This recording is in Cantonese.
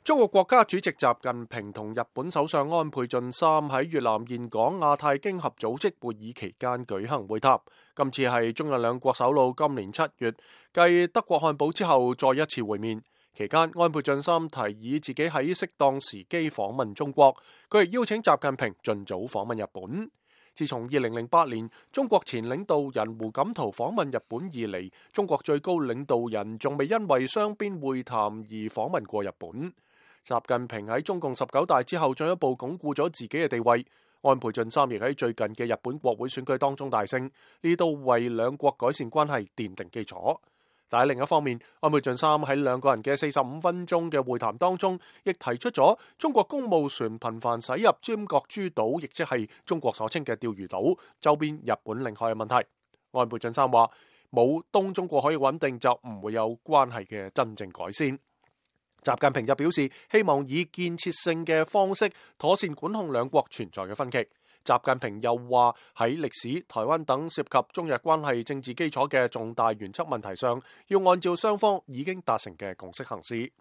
中國國家主席習近平同日本首相安倍晉三喺越南峴港亞太經合組織會議期間舉行會談。今次係中日兩國首腦今年7月繼德國漢堡之後再一次會面。期間，安倍晉三提議自己喺適當時機訪問中國，佢亦邀請習近平盡早訪問日本。自從2008年中國前領導人胡錦濤訪問日本以嚟，中國最高領導人仲未因為雙邊會談而訪問過日本。習近平喺中共19大之後進一步鞏固咗自己嘅地位。安倍晉三亦喺最近嘅日本國會選舉當中大勝，呢度為兩國改善關係奠定基礎。但係另一方面，安倍晉三喺兩個人嘅45分鐘嘅會談當中，亦提出咗中國公務船頻繁駛入尖閣諸島，亦即係中國所稱嘅釣魚島周邊日本領海嘅問題。安倍晉三話：冇東中國可以穩定，就唔會有關係嘅真正改善。習近平就表示，希望以建設性嘅方式妥善管控兩國存在嘅分歧。習近平又話喺歷史、台灣等涉及中日關係政治基礎嘅重大原則問題上，要按照雙方已經達成嘅共識行事。